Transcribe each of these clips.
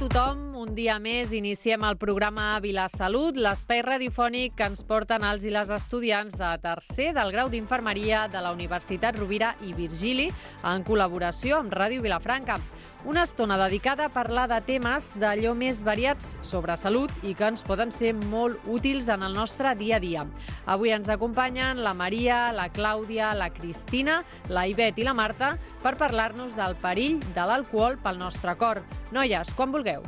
tothom, un dia més iniciem el programa Vilasalut, l'espai radiofònic que ens porten els i les estudiants de tercer del grau d'Infermeria de la Universitat Rovira i Virgili en col·laboració amb Ràdio Vilafranca. Una estona dedicada a parlar de temes d'allò més variats sobre salut i que ens poden ser molt útils en el nostre dia a dia. Avui ens acompanyen la Maria, la Clàudia, la Cristina, la Ivet i la Marta per parlar-nos del perill de l'alcohol pel nostre cor. Noies, quan vulgueu.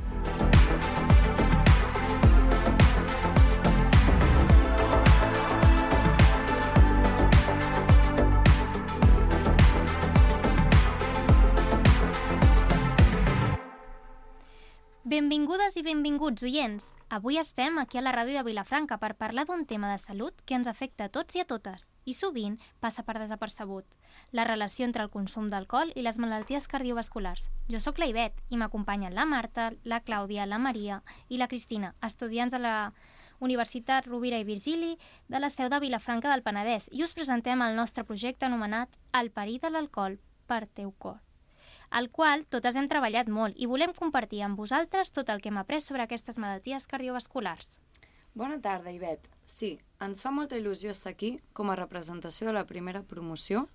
Benvingudes i benvinguts, oients! Avui estem aquí a la ràdio de Vilafranca per parlar d'un tema de salut que ens afecta a tots i a totes i sovint passa per desapercebut: la relació entre el consum d'alcohol i les malalties cardiovasculars. Jo sóc la Ivet i m'acompanyen la Marta, la Clàudia, la Maria i la Cristina, estudiants de la Universitat Rovira i Virgili de la seu de Vilafranca del Penedès, i us presentem el nostre projecte anomenat El perill de l'alcohol per teu cor, al qual totes hem treballat molt i volem compartir amb vosaltres tot el que hem après sobre aquestes malalties cardiovasculars. Bona tarda, Ivet. Sí, ens fa molta il·lusió estar aquí com a representació de la primera promoció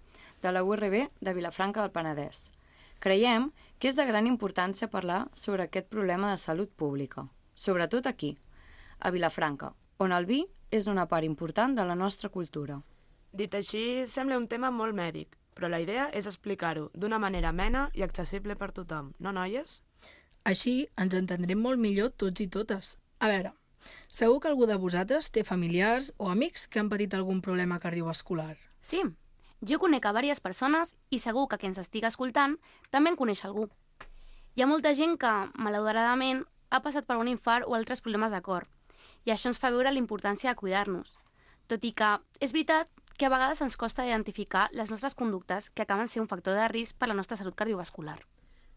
de la URB de Vilafranca del Penedès. Creiem que és de gran importància parlar sobre aquest problema de salut pública, sobretot aquí, a Vilafranca, on el vi és una part important de la nostra cultura. Dit així, sembla un tema molt mèdic, però la idea és explicar-ho d'una manera amena i accessible per tothom, no, noies? Així ens entendrem molt millor tots i totes. A veure, segur que algú de vosaltres té familiars o amics que han patit algun problema cardiovascular. Sí, jo conec a diverses persones i segur que qui ens estigui escoltant també en coneix algú. Hi ha molta gent que, malauradament, ha passat per un infart o altres problemes de cor, i això ens fa veure la importància de cuidar-nos. Tot i que és veritat que a vegades ens costa identificar les nostres conductes que acaben sent un factor de risc per a la nostra salut cardiovascular.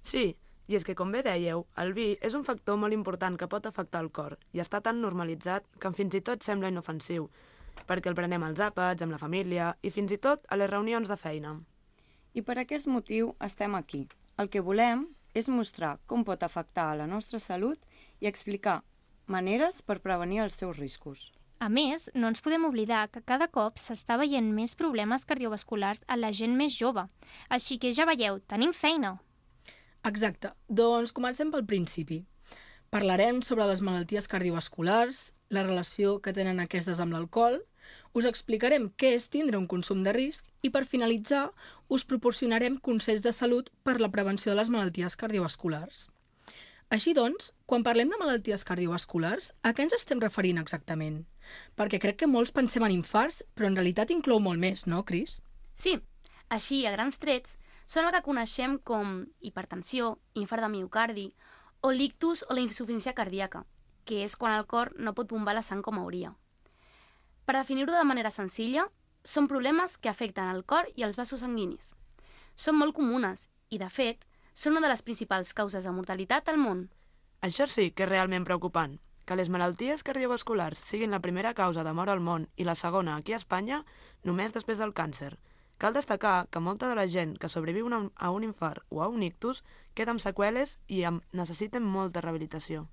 Sí, i és que, com bé dèieu, el vi és un factor molt important que pot afectar el cor i està tan normalitzat que fins i tot sembla inofensiu, perquè el prenem als àpats, amb la família i fins i tot a les reunions de feina. I per aquest motiu estem aquí. El que volem és mostrar com pot afectar a la nostra salut i explicar maneres per prevenir els seus riscos. A més, no ens podem oblidar que cada cop s'està veient més problemes cardiovasculars a la gent més jove. Així que ja veieu, tenim feina. Exacte. Doncs comencem pel principi. Parlarem sobre les malalties cardiovasculars, la relació que tenen aquestes amb l'alcohol, us explicarem què és tindre un consum de risc i, per finalitzar, us proporcionarem consells de salut per la prevenció de les malalties cardiovasculars. Així doncs, quan parlem de malalties cardiovasculars, a què ens estem referint exactament? Perquè crec que molts pensem en infarts, però en realitat inclou molt més, no, Cris? Sí, així, a grans trets, són el que coneixem com hipertensió, infart de miocardi, o l'ictus o la insuficiència cardíaca, que és quan el cor no pot bombar la sang com hauria. Per definir-ho de manera senzilla, són problemes que afecten el cor i els vasos sanguinis. Són molt comunes i, de fet, són una de les principals causes de mortalitat al món. Això sí que és realment preocupant. Que les malalties cardiovasculars siguin la primera causa de mort al món i la segona aquí a Espanya, només després del càncer. Cal destacar que molta de la gent que sobreviu a un infart o a un ictus queda amb seqüeles i necessiten molta rehabilitació.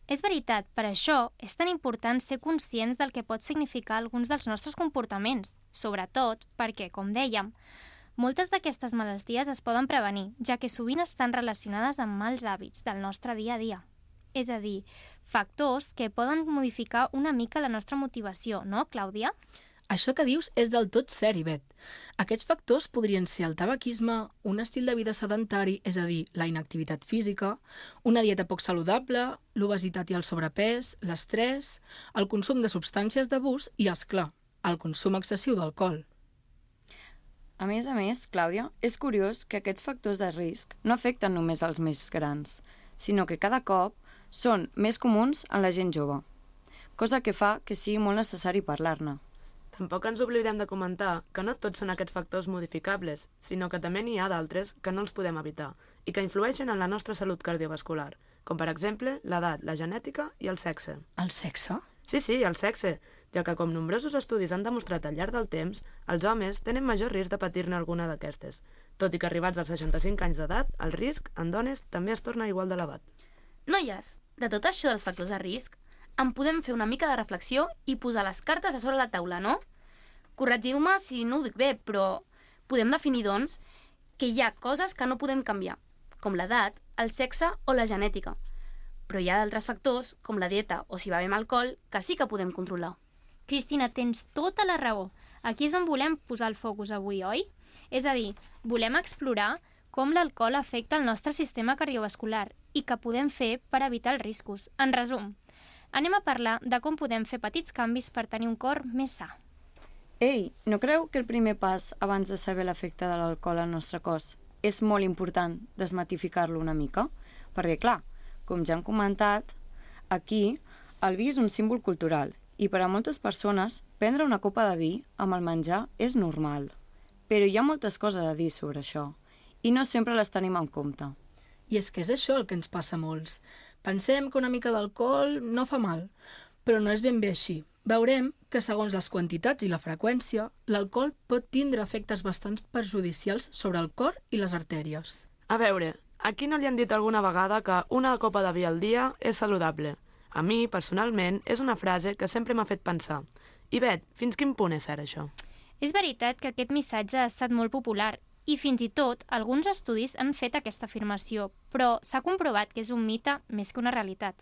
És veritat, per això és tan important ser conscients del que pot significar alguns dels nostres comportaments, sobretot perquè, com dèiem, moltes d'aquestes malalties es poden prevenir, ja que sovint estan relacionades amb mals hàbits del nostre dia a dia. És a dir, factors que poden modificar una mica la nostra motivació, no, Clàudia? Això que dius és del tot cert, Ivet. Aquests factors podrien ser el tabaquisme, un estil de vida sedentari, és a dir, la inactivitat física, una dieta poc saludable, l'obesitat i el sobrepès, l'estrès, el consum de substàncies d'abús i, és clar, el consum excessiu d'alcohol. A més, Clàudia, és curiós que aquests factors de risc no afecten només els més grans, sinó que cada cop són més comuns en la gent jove, cosa que fa que sigui molt necessari parlar-ne. Tampoc ens oblidem de comentar que no tots són aquests factors modificables, sinó que també n'hi ha d'altres que no els podem evitar i que influeixen en la nostra salut cardiovascular, com per exemple l'edat, la genètica i el sexe. El sexe? Sí, el sexe, ja que com nombrosos estudis han demostrat al llarg del temps, els homes tenen major risc de patir-ne alguna d'aquestes, tot i que arribats als 65 anys d'edat, el risc en dones també es torna igual d'elevat. Noies, de tot això dels factors de risc, en podem fer una mica de reflexió i posar les cartes a sobre la taula, no? Corregiu-me si no ho dic bé, però podem definir, doncs, que hi ha coses que no podem canviar, com l'edat, el sexe o la genètica. Però hi ha d'altres factors, com la dieta o si bevem alcohol, que sí que podem controlar. Cristina, tens tota la raó. Aquí és on volem posar el focus avui, oi? És a dir, volem explorar com l'alcohol afecta el nostre sistema cardiovascular i què podem fer per evitar els riscos. En resum, anem a parlar de com podem fer petits canvis per tenir un cor més sa. Ei, no creu que el primer pas abans de saber l'efecte de l'alcohol al nostre cos és molt important desmitificar-lo una mica? Perquè, clar, com ja hem comentat, aquí el vi és un símbol cultural i per a moltes persones prendre una copa de vi amb el menjar és normal. Però hi ha moltes coses a dir sobre això i no sempre les tenim en compte. I és que és això el que ens passa a molts. Pensem que una mica d'alcohol no fa mal, però no és ben bé així. Veurem que segons les quantitats i la freqüència, l'alcohol pot tindre efectes bastant perjudicials sobre el cor i les artèries. A veure, a qui no li han dit alguna vegada que una copa de vi al dia és saludable? A mi, personalment, és una frase que sempre m'ha fet pensar. I Bet, fins quin punt és cert això? És veritat que aquest missatge ha estat molt popular i fins i tot alguns estudis han fet aquesta afirmació, però s'ha comprovat que és un mite més que una realitat.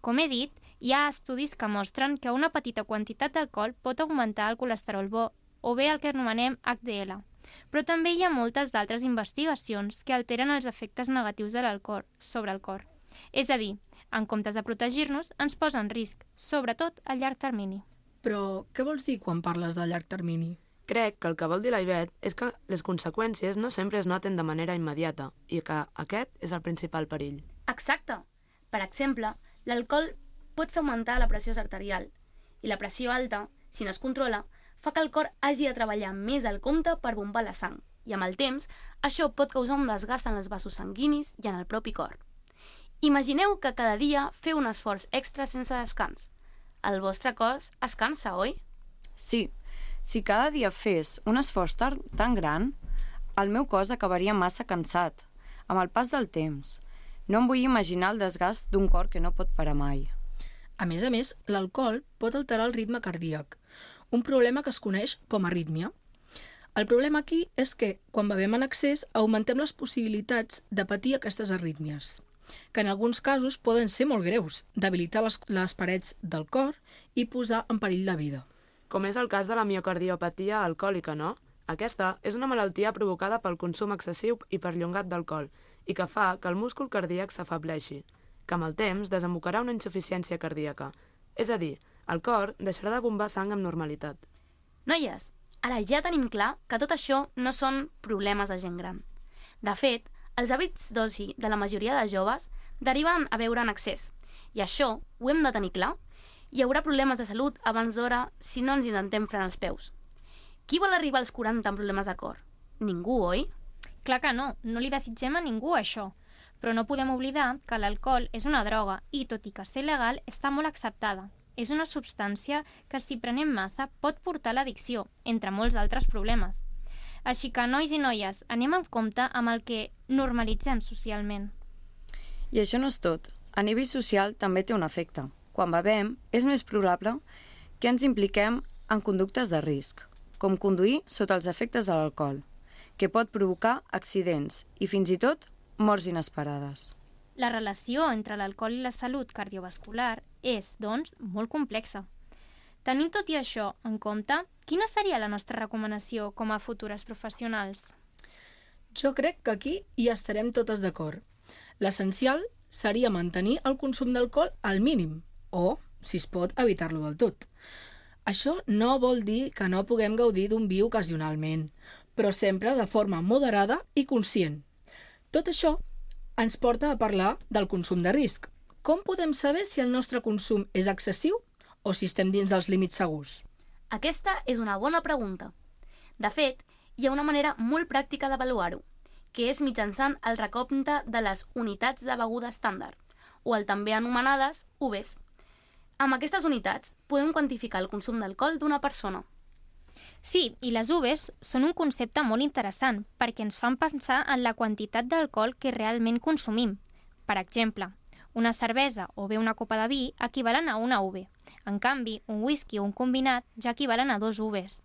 Com he dit, hi ha estudis que mostren que una petita quantitat d'alcohol pot augmentar el colesterol bo, o bé el que anomenem HDL. Però també hi ha moltes d'altres investigacions que alteren els efectes negatius de l'alcohol sobre el cor. És a dir, en comptes de protegir-nos, ens posa en risc, sobretot a llarg termini. Però què vols dir quan parles de llarg termini? Crec que el que vol dir la Ivet és que les conseqüències no sempre es noten de manera immediata i que aquest és el principal perill. Exacte. Per exemple, l'alcohol pot fer augmentar la pressió arterial i la pressió alta, si no es controla, fa que el cor hagi de treballar més del compte per bombar la sang i amb el temps això pot causar un desgast en els vasos sanguinis i en el propi cor. Imagineu que cada dia feu un esforç extra sense descans. El vostre cos es cansa, oi? Sí, si cada dia fes un esforç tan gran, el meu cos acabaria massa cansat, amb el pas del temps. No em vull imaginar el desgast d'un cor que no pot parar mai. A més, l'alcohol pot alterar el ritme cardíac, un problema que es coneix com a arrítmia. El problema aquí és que, quan bevem en excés, augmentem les possibilitats de patir aquestes arrítmies, que en alguns casos poden ser molt greus, debilitar les parets del cor i posar en perill la vida. Com és el cas de la miocardiopatia alcohòlica, no? Aquesta és una malaltia provocada pel consum excessiu i perllongat d'alcohol i que fa que el múscul cardíac s'afableixi, que amb el temps desembocarà una insuficiència cardíaca. És a dir, el cor deixarà de bombar sang amb normalitat. Noies, ara ja tenim clar que tot això no són problemes de gent gran. De fet, els hàbits d'oci de la majoria de joves deriven a beure en excés, i això ho hem de tenir clar. Hi haurà problemes de salut abans d'hora si no ens intentem frenar els peus. Qui vol arribar als 40 amb problemes de cor? Ningú, oi? Clar que no li desitgem a ningú això. Però no podem oblidar que l'alcohol és una droga i, tot i que ser legal, està molt acceptada. És una substància que, si prenem massa, pot portar a l'addicció, entre molts altres problemes. Així que, nois i noies, anem en compte amb el que normalitzem socialment. I això no és tot. A nivell social també té un efecte. Quan bevem, és més probable que ens impliquem en conductes de risc, com conduir sota els efectes de l'alcohol, que pot provocar accidents i fins i tot morts inesperades. La relació entre l'alcohol i la salut cardiovascular és, doncs, molt complexa. Tenint tot i això en compte, quina seria la nostra recomanació com a futures professionals? Jo crec que aquí hi estarem totes d'acord. L'essencial seria mantenir el consum d'alcohol al mínim, o, si es pot, evitar-lo del tot. Això no vol dir que no puguem gaudir d'un vi ocasionalment, però sempre de forma moderada i conscient. Tot això ens porta a parlar del consum de risc. Com podem saber si el nostre consum és excessiu o si estem dins dels límits segurs? Aquesta és una bona pregunta. De fet, hi ha una manera molt pràctica d'avaluar-ho, que és mitjançant el recompte de les unitats de beguda estàndard, o el també anomenades UVs. Amb aquestes unitats podem quantificar el consum d'alcohol d'una persona. Sí, i les UVs són un concepte molt interessant perquè ens fan pensar en la quantitat d'alcohol que realment consumim. Per exemple, Una cervesa o bé una copa de vi equivalen a una UV. En canvi, un whisky o un combinat ja equivalen a 2 UVs.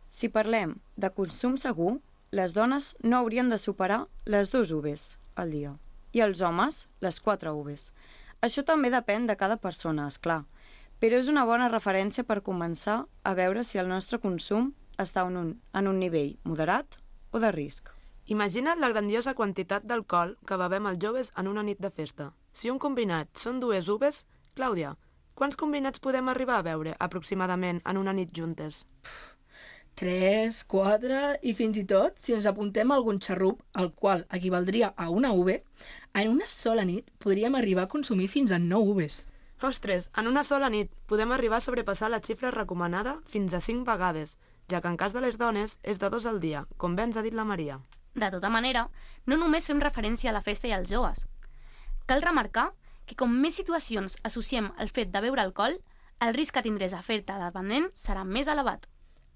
Si parlem de consum segur, les dones no haurien de superar les 2 UVs al dia i els homes les 4 UVs. Això també depèn de cada persona, és clar, però és una bona referència per començar a veure si el nostre consum està en un nivell moderat o de risc. Imagina't la grandiosa quantitat d'alcohol que bevem els joves en una nit de festa. Si un combinat són 2 UVs, Clàudia, quants combinats podem arribar a beure aproximadament en una nit juntes? 3, 4 i fins i tot, si ens apuntem a algun xarrup, el qual equivaldria a una UV, en una sola nit podríem arribar a consumir fins a 9 UVs. Ostres, en una sola nit podem arribar a sobrepassar la xifra recomanada fins a 5 vegades, ja que en cas de les dones és de 2 al dia, com bé ens ha dit la Maria. De tota manera, no només fem referència a la festa i als joves. Cal remarcar que com més situacions associem al fet de beure alcohol, el risc que tindràs a fer-te dependent serà més elevat.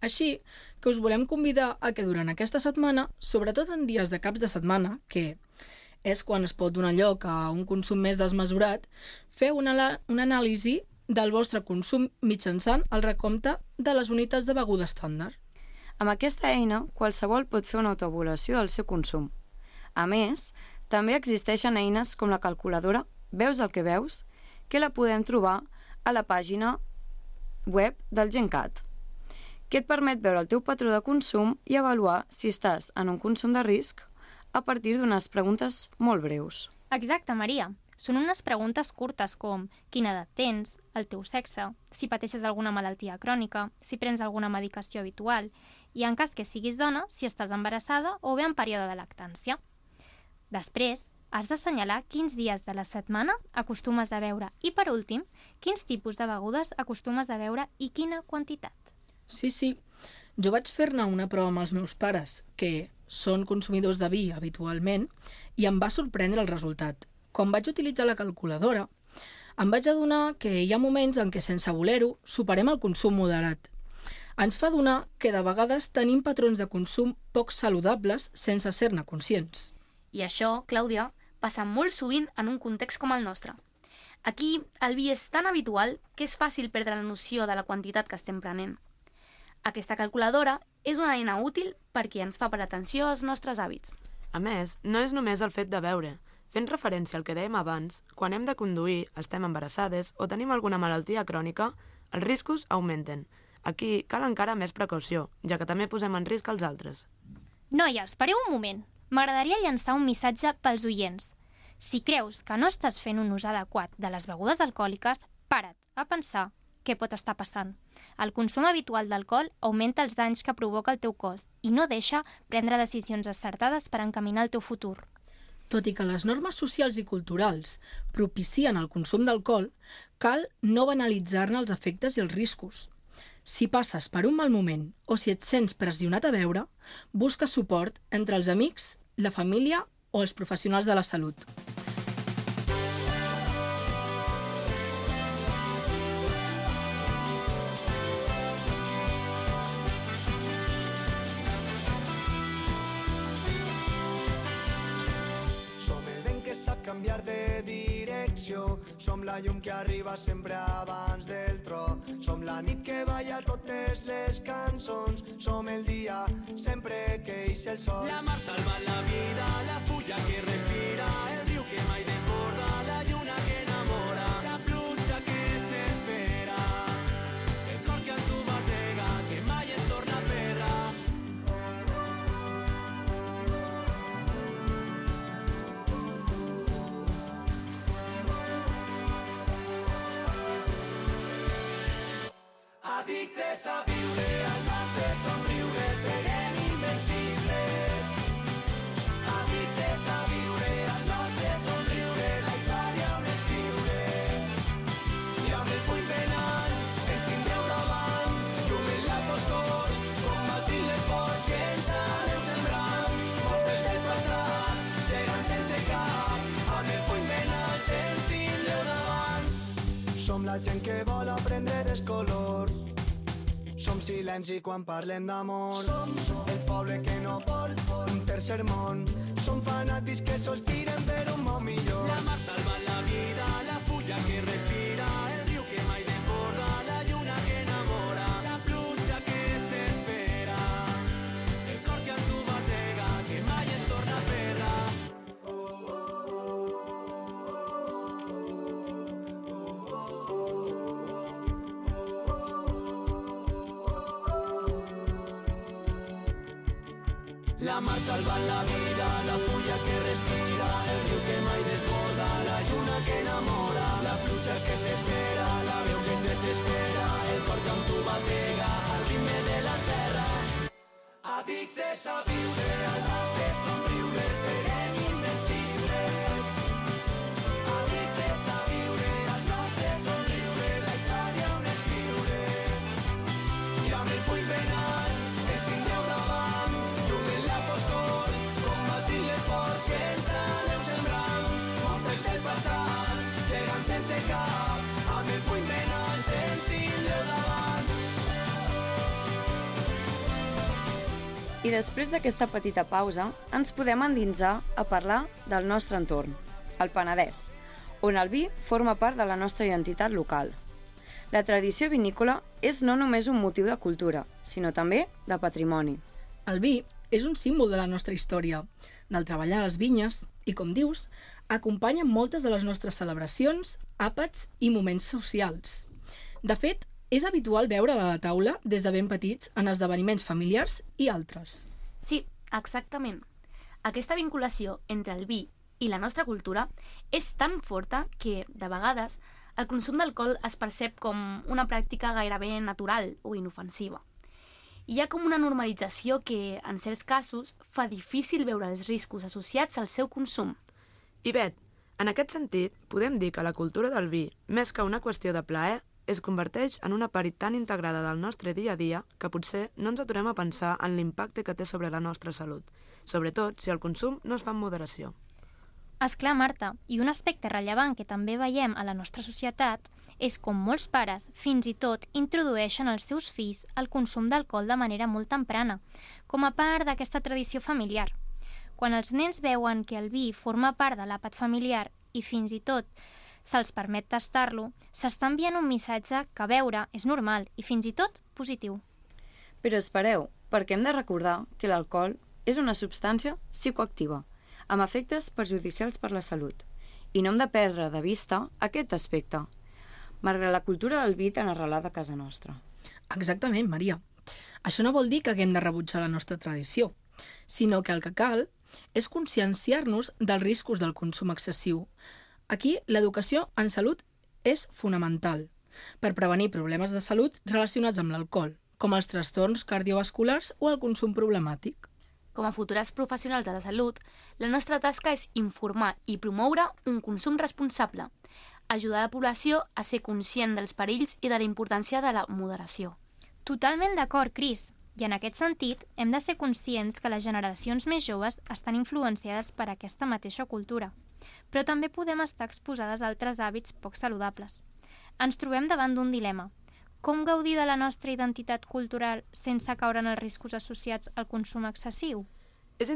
Així que us volem convidar a que durant aquesta setmana, sobretot en dies de caps de setmana, que és quan es pot donar lloc a un consum més desmesurat, feu una anàlisi del vostre consum mitjançant el recompte de les unitats de beguda estàndard. Amb aquesta eina, qualsevol pot fer una autoavaluació del seu consum. A més, també existeixen eines com la calculadora Veus el que veus, que la podem trobar a la pàgina web del GenCat, que et permet veure el teu patró de consum i avaluar si estàs en un consum de risc a partir d'unes preguntes molt breus. Exacte, Maria. Són unes preguntes curtes com quina edat tens, el teu sexe, si pateixes alguna malaltia crònica, si prens alguna medicació habitual i, en cas que siguis dona, si estàs embarassada o bé en període de lactància. Després, has d'assenyalar quins dies de la setmana acostumes a beure i, per últim, quins tipus de begudes acostumes a beure i quina quantitat. Sí. Jo vaig fer-ne una prova amb els meus pares, que són consumidors de vi habitualment, i em va sorprendre el resultat. Quan vaig utilitzar la calculadora, em vaig adonar que hi ha moments en què, sense voler-ho, superem el consum moderat. Ens fa adonar que de vegades tenim patrons de consum poc saludables sense ser-ne conscients. I això, Clàudia, passa molt sovint en un context com el nostre. Aquí el vi és tan habitual que és fàcil perdre la noció de la quantitat que estem prenent. Aquesta calculadora és una eina útil perquè ens fa per atenció als nostres hàbits. A més, no és només el fet de beure. Fent referència al que dèiem abans, quan hem de conduir, estem embarassades o tenim alguna malaltia crònica, els riscos augmenten. Aquí cal encara més precaució, ja que també posem en risc els altres. Noies, pareu un moment. M'agradaria llançar un missatge pels oients. Si creus que no estàs fent un ús adequat de les begudes alcohòliques, para't a pensar què pot estar passant. El consum habitual d'alcohol augmenta els danys que provoca el teu cos i no deixa prendre decisions acertades per encaminar el teu futur. Tot i que les normes socials i culturals propicien el consum d'alcohol, cal no banalitzar-ne els efectes i els riscos. Si passes per un mal moment o si et sents pressionat a beure, busca suport entre els amics, la família o els professionals de la salut. Sap canviar de direcció. Som la llum que arriba sempre abans del tro. Som la nit que balla totes les cançons. Som el dia sempre que ix el sol. La mar salva la vida, la fulla que respira, el riu que mai desborda, la lluna que enamora, la pluja que s'espera, el cor que al tu batega, que mai es torna perra. Addictes a viure, al nostre somriure serem invencibles. Addictes a viure, al nostre somriure la història on escriure. I amb el puny penal ens tindreu davant, llum en la foscor, combatint les pors que ens anem sembrant. Mostres del passat, gegants sense cap, amb el puny penal ens tindreu davant. Som la gent que vol aprendre els colors. Som silenci quan parlem d'amor. Som el poble que no vol un tercer món. Som fanàtics que sospiren per un món millor. La mar salva la vida. vida, la fulla que respira, el riu que mai desborda, la lluna que enamora, la pluja que s'espera, el cor que amb tu batega, que mai es torna perra. La mar salvant la vida, la fulla que respira, el riu que mai desborda, la lluna que enamora, la pluja que s'espera, la veu que es desespera, el cor que amb tu batega, al ritme de la terra. Addictes a viure, al nostre somriure, serem invencibles. Addictes a viure, al nostre somriure, la història on escriure. I amb el puny ben alt, ens tindreu davant, llum en la foscor, combatint les pors que ens aneu sembrant. Monstres del passat, gegants sense cap, amb el puny ben alt, ens tindreu davant. I després d'aquesta petita pausa, ens podem endinsar a parlar del nostre entorn, el Penedès, on el vi forma part de la nostra identitat local. La tradició vinícola és no només un motiu de cultura, sinó també de patrimoni. El vi és un símbol de la nostra història, del treballar a les vinyes i, com dius, acompanya moltes de les nostres celebracions, àpats i moments socials. De fet, és habitual veure a la taula des de ben petits en esdeveniments familiars i altres. Sí, exactament. Aquesta vinculació entre el vi i la nostra cultura és tan forta que, de vegades, el consum d'alcohol es percep com una pràctica gairebé natural o inofensiva. Hi ha com una normalització que, en certs casos, fa difícil veure els riscos associats al seu consum. I Bet, en aquest sentit, podem dir que la cultura del vi, més que una qüestió de plaer, es converteix en una part tan integrada del nostre dia a dia que potser no ens aturem a pensar en l'impacte que té sobre la nostra salut, sobretot si el consum no es fa amb moderació. Esclar, Marta, i un aspecte rellevant que també veiem a la nostra societat és com molts pares, fins i tot, introdueixen als seus fills el consum d'alcohol de manera molt temprana, com a part d'aquesta tradició familiar. Quan els nens veuen que el vi forma part de l'àpat familiar i fins i tot se'ls permet tastar-lo, s'està enviant un missatge que beure és normal i fins i tot positiu. Però espereu, perquè hem de recordar que l'alcohol és una substància psicoactiva, amb efectes perjudicials per la salut. I no hem de perdre de vista aquest aspecte, malgrat la cultura del vi tan arrelada a casa nostra. Exactament, Maria. Això no vol dir que haguem de rebutjar la nostra tradició, sinó que el que cal és conscienciar-nos dels riscos del consum excessiu. Aquí, l'educació en salut és fonamental per prevenir problemes de salut relacionats amb l'alcohol, com els trastorns cardiovasculars o el consum problemàtic. Com a futures professionals de la salut, la nostra tasca és informar i promoure un consum responsable, ajudar la població a ser conscient dels perills i de la importància de la moderació. Totalment d'acord, Cris. I en aquest sentit, hem de ser conscients que les generacions més joves estan influenciades per aquesta mateixa cultura. Però també podem estar exposades a altres hàbits poc saludables. Ens trobem davant d'un dilema. Com gaudir de la nostra identitat cultural sense caure en els riscos associats al consum excessiu? És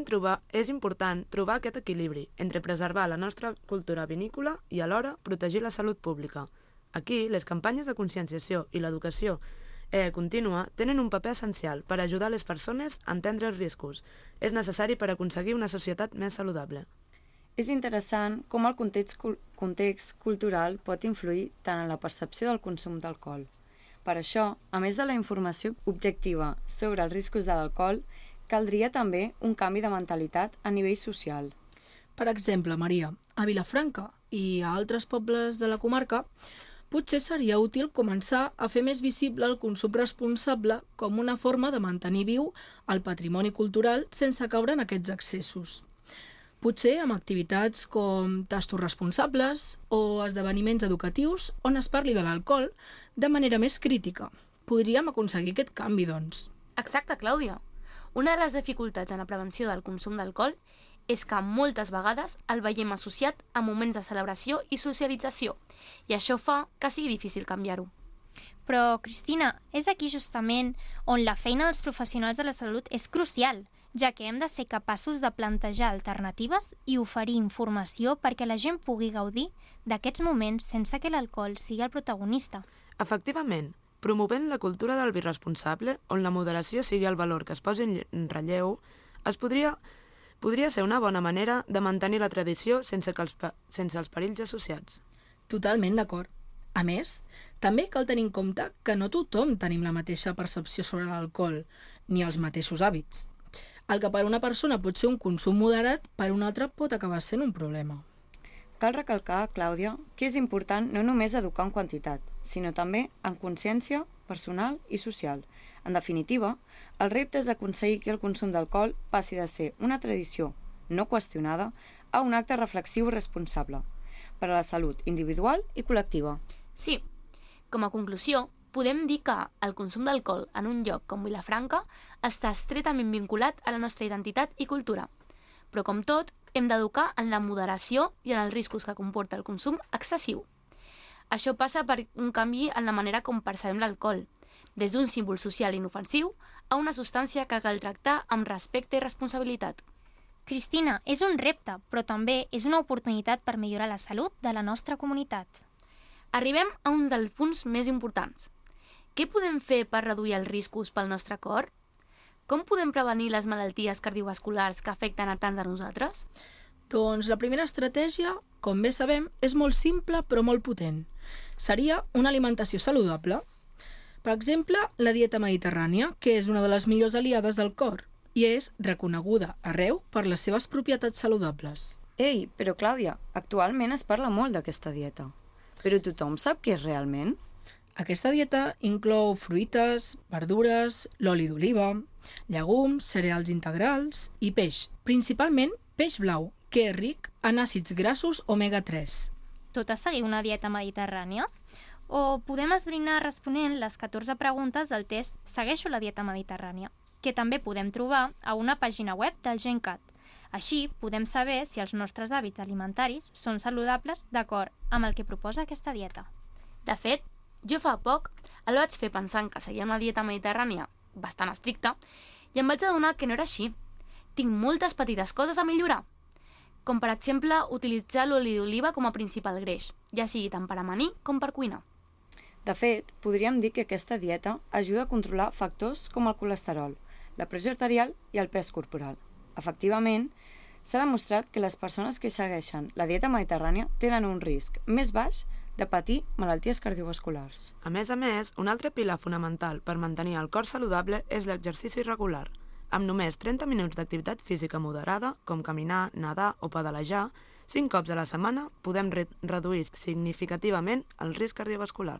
important trobar aquest equilibri entre preservar la nostra cultura vinícola i alhora protegir la salut pública. Aquí, les campanyes de conscienciació i l'educació contínua tenen un paper essencial per ajudar les persones a entendre els riscos. És necessari per aconseguir una societat més saludable. És interessant com el context cultural pot influir tant en la percepció del consum d'alcohol. Per això, a més de la informació objectiva sobre els riscos de l'alcohol, caldria també un canvi de mentalitat a nivell social. Per exemple, Maria, a Vilafranca i a altres pobles de la comarca, potser seria útil començar a fer més visible el consum responsable com una forma de mantenir viu el patrimoni cultural sense caure en aquests excessos. Potser amb activitats com tastos responsables o esdeveniments educatius on es parli de l'alcohol de manera més crítica. Podríem aconseguir aquest canvi, doncs. Exacte, Clàudia. Una de les dificultats en la prevenció del consum d'alcohol és que moltes vegades el veiem associat a moments de celebració i socialització, i això fa que sigui difícil canviar-ho. Però, Cristina, és aquí justament on la feina dels professionals de la salut és crucial, ja que hem de ser capaços de plantejar alternatives i oferir informació perquè la gent pugui gaudir d'aquests moments sense que l'alcohol sigui el protagonista. Efectivament, promovent la cultura del vi responsable, on la moderació sigui el valor que es posi en relleu, podria ser una bona manera de mantenir la tradició sense els perills associats. Totalment d'acord. A més, també cal tenir en compte que no tothom tenim la mateixa percepció sobre l'alcohol, ni els mateixos hàbits. El que per una persona pot ser un consum moderat, per una altra pot acabar sent un problema. Cal recalcar, Clàudia, que és important no només educar en quantitat, sinó també en consciència personal i social. En definitiva, el repte és aconseguir que el consum d'alcohol passi de ser una tradició no qüestionada a un acte reflexiu i responsable per a la salut individual i col·lectiva. Sí, com a conclusió, podem dir que el consum d'alcohol en un lloc com Vilafranca està estretament vinculat a la nostra identitat i cultura. Però com tot, hem d'educar en la moderació i en els riscos que comporta el consum excessiu. Això passa per un canvi en la manera com percebem l'alcohol, des d'un símbol social inofensiu a una substància que cal tractar amb respecte i responsabilitat. Cristina, és un repte, però també és una oportunitat per millorar la salut de la nostra comunitat. Arribem a un dels punts més importants. Què podem fer per reduir els riscos pel nostre cor? Com podem prevenir les malalties cardiovasculars que afecten a tants de nosaltres? Doncs la primera estratègia, com bé sabem, és molt simple però molt potent. Seria una alimentació saludable. Per exemple, la dieta mediterrània, que és una de les millors aliades del cor i és reconeguda arreu per les seves propietats saludables. Ei, però Clàudia, actualment es parla molt d'aquesta dieta. Però tothom sap què és realment? Aquesta dieta inclou fruites, verdures, l'oli d'oliva, llegums, cereals integrals i peix, principalment peix blau, que és ric en àcids grassos omega-3. Tot a seguir una dieta mediterrània? O podem esbrinar responent les 14 preguntes del test Segueixo la dieta mediterrània, que també podem trobar a una pàgina web del GenCat. Així podem saber si els nostres hàbits alimentaris són saludables d'acord amb el que proposa aquesta dieta. De fet, jo fa poc el vaig fer pensant que seguia una dieta mediterrània bastant estricta i em vaig adonar que no era així. Tinc moltes petites coses a millorar, com per exemple utilitzar l'oli d'oliva com a principal greix, ja sigui tant per amanir com per cuinar. De fet, podríem dir que aquesta dieta ajuda a controlar factors com el colesterol, la pressió arterial i el pes corporal. Efectivament, s'ha demostrat que les persones que segueixen la dieta mediterrània tenen un risc més baix de patir malalties cardiovasculars. A més, un altre pilar fonamental per mantenir el cor saludable és l'exercici regular. Amb només 30 minuts d'activitat física moderada, com caminar, nedar o pedalejar, 5 cops a la setmana podem reduir significativament el risc cardiovascular.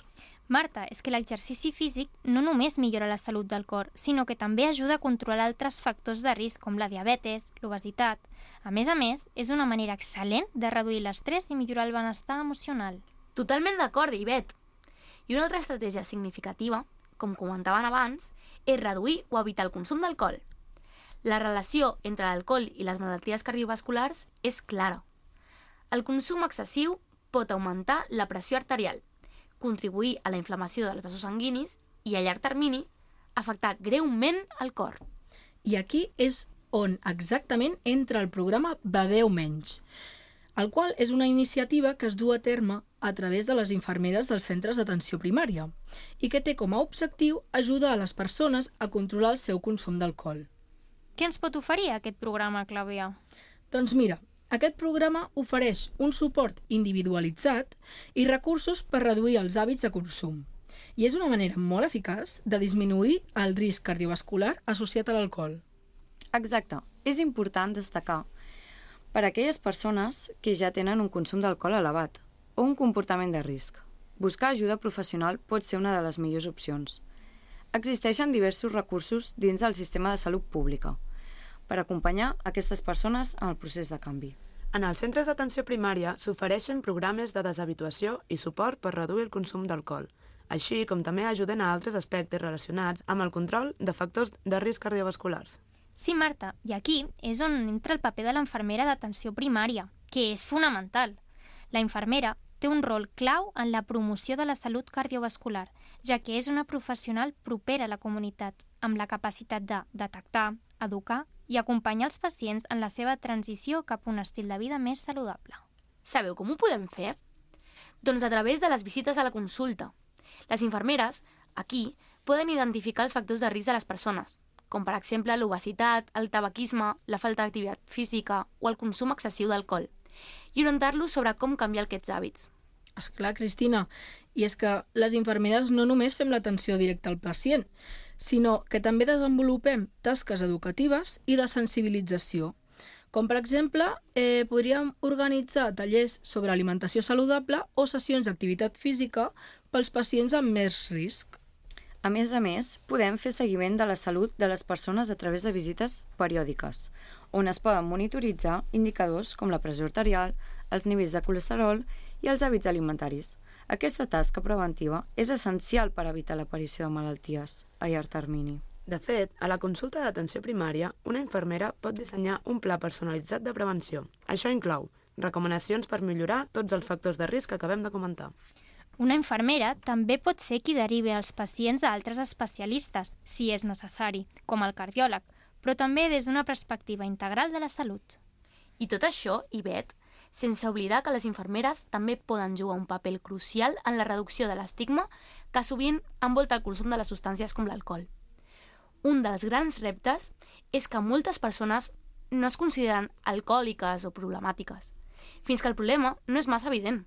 Marta, és que l'exercici físic no només millora la salut del cor, sinó que també ajuda a controlar altres factors de risc com la diabetes, l'obesitat. A més, és una manera excel·lent de reduir l'estrès i millorar el benestar emocional. Totalment d'acord, Ivet. I una altra estratègia significativa, com comentaven abans, és reduir o evitar el consum d'alcohol. La relació entre l'alcohol i les malalties cardiovasculars és clara. El consum excessiu pot augmentar la pressió arterial, contribuir a la inflamació dels vasos sanguinis i, a llarg termini, afectar greument el cor. I aquí és on exactament entra el programa Beveu Menys, el qual és una iniciativa que es du a terme a través de les infermeres dels centres d'atenció primària i que té com a objectiu ajudar a les persones a controlar el seu consum d'alcohol. Què ens pot oferir aquest programa, Clàudia? Doncs mira, aquest programa ofereix un suport individualitzat i recursos per reduir els hàbits de consum. I és una manera molt eficaç de disminuir el risc cardiovascular associat a l'alcohol. Exacte. És important destacar per a aquelles persones que ja tenen un consum d'alcohol elevat o un comportament de risc. Buscar ajuda professional pot ser una de les millors opcions. Existeixen diversos recursos dins del sistema de salut pública per acompanyar aquestes persones en el procés de canvi. En els centres d'atenció primària s'ofereixen programes de deshabituació i suport per reduir el consum d'alcohol, així com també ajuden a altres aspectes relacionats amb el control de factors de risc cardiovasculars. Sí, Marta, i aquí és on entra el paper de l'infermera d'atenció primària, que és fonamental. La infermera té un rol clau en la promoció de la salut cardiovascular, ja que és una professional propera a la comunitat, amb la capacitat de detectar, educar i acompanyar els pacients en la seva transició cap a un estil de vida més saludable. Sabeu com ho podem fer? Doncs a través de les visites a la consulta. Les infermeres, aquí, poden identificar els factors de risc de les persones, com per exemple l'obesitat, el tabaquisme, la falta d'activitat física o el consum excessiu d'alcohol, i orientar-los sobre com canviar aquests hàbits. Esclar, Cristina, i és que les infermeres no només fem l'atenció directa al pacient, sinó que també desenvolupem tasques educatives i de sensibilització. Com, per exemple, podríem organitzar tallers sobre alimentació saludable o sessions d'activitat física pels pacients amb més risc. A més, podem fer seguiment de la salut de les persones a través de visites periòdiques, on es poden monitoritzar indicadors com la pressió arterial, els nivells de colesterol i els hàbits alimentaris. Aquesta tasca preventiva és essencial per evitar l'aparició de malalties a llarg termini. De fet, a la consulta d'atenció primària, una infermera pot dissenyar un pla personalitzat de prevenció. Això inclou recomanacions per millorar tots els factors de risc que acabem de comentar. Una infermera també pot ser qui derivi els pacients a altres especialistes, si és necessari, com el cardiòleg, però també des d'una perspectiva integral de la salut. I tot això, Ivet, sense oblidar que les infermeres també poden jugar un paper crucial en la reducció de l'estigma que sovint envolta el consum de les substàncies com l'alcohol. Un dels grans reptes és que moltes persones no es consideren alcohòliques o problemàtiques, fins que el problema no és massa evident.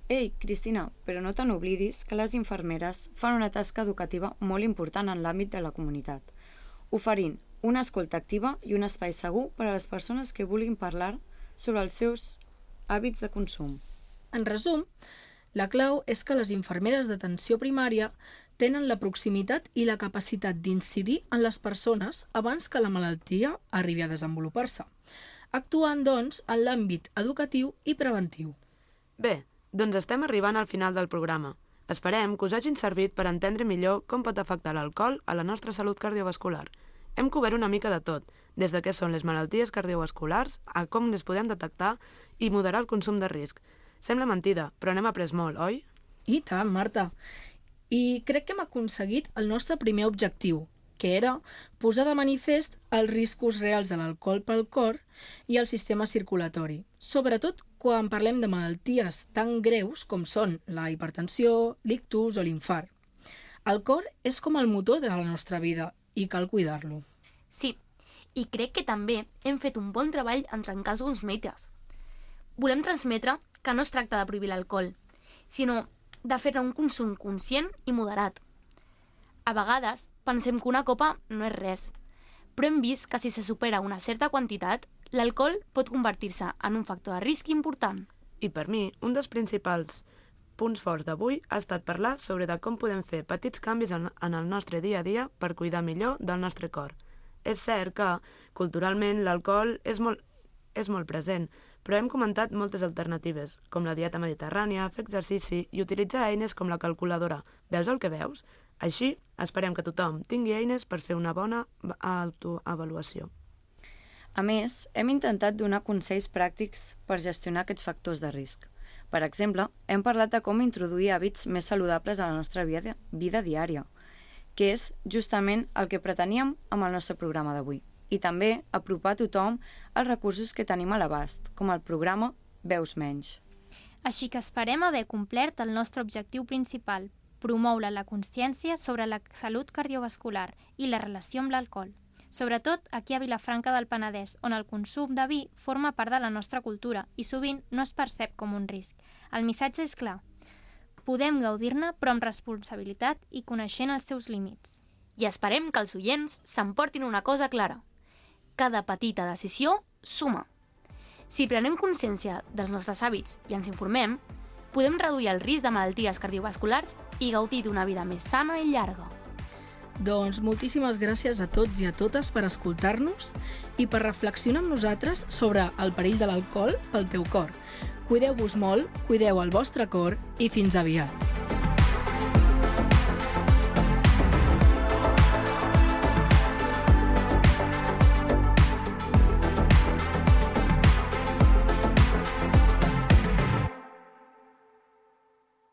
Ei, Cristina, però no te n'oblidis que les infermeres fan una tasca educativa molt important en l'àmbit de la comunitat, oferint una escolta activa i un espai segur per a les persones que vulguin parlar sobre els seus hàbits de consum. En resum, la clau és que les infermeres d'atenció primària tenen la proximitat i la capacitat d'incidir en les persones abans que la malaltia arribi a desenvolupar-se, actuant, doncs, en l'àmbit educatiu i preventiu. Bé, doncs estem arribant al final del programa. Esperem que us hagin servit per entendre millor com pot afectar l'alcohol a la nostra salut cardiovascular. Hem cobert una mica de tot, des de què són les malalties cardiovasculars a com les podem detectar i moderar el consum de risc. Sembla mentida, però n'hem après molt, oi? I tant, Marta. I crec que hem aconseguit el nostre primer objectiu, que era posar de manifest els riscos reals de l'alcohol pel cor i el sistema circulatori, sobretot quan parlem de malalties tan greus com són la hipertensió, l'ictus o l'infart. El cor és com el motor de la nostra vida i cal cuidar-lo. Sí, i crec que també hem fet un bon treball en trencar alguns mites. Volem transmetre que no es tracta de prohibir l'alcohol, sinó de fer-ne un consum conscient i moderat. A vegades pensem que una copa no és res, però hem vist que si se supera una certa quantitat, l'alcohol pot convertir-se en un factor de risc important. I per mi, un dels principals punts forts d'avui ha estat parlar sobre de com podem fer petits canvis en el nostre dia a dia per cuidar millor del nostre cor. És cert que, culturalment, l'alcohol és molt present, però hem comentat moltes alternatives, com la dieta mediterrània, fer exercici i utilitzar eines com la calculadora. Veus el que veus? Així, esperem que tothom tingui eines per fer una bona autoavaluació. A més, hem intentat donar consells pràctics per gestionar aquests factors de risc. Per exemple, hem parlat de com introduir hàbits més saludables a la nostra vida diària, que és justament el que preteníem amb el nostre programa d'avui. I també apropar a tothom els recursos que tenim a l'abast, com el programa Veus Menys. Així que esperem haver complert el nostre objectiu principal, promoure la consciència sobre la salut cardiovascular i la relació amb l'alcohol, sobretot aquí a Vilafranca del Penedès, on el consum de vi forma part de la nostra cultura i sovint no es percep com un risc. El missatge és clar. Podem gaudir-ne, però amb responsabilitat i coneixent els seus límits. I esperem que els oients s'emportin una cosa clara. Cada petita decisió suma. Si prenem consciència dels nostres hàbits i ens informem, podem reduir el risc de malalties cardiovasculars i gaudir d'una vida més sana i llarga. Doncs moltíssimes gràcies a tots i a totes per escoltar-nos i per reflexionar amb nosaltres sobre el perill de l'alcohol pel teu cor. Cuideu-vos molt, cuideu el vostre cor i fins aviat.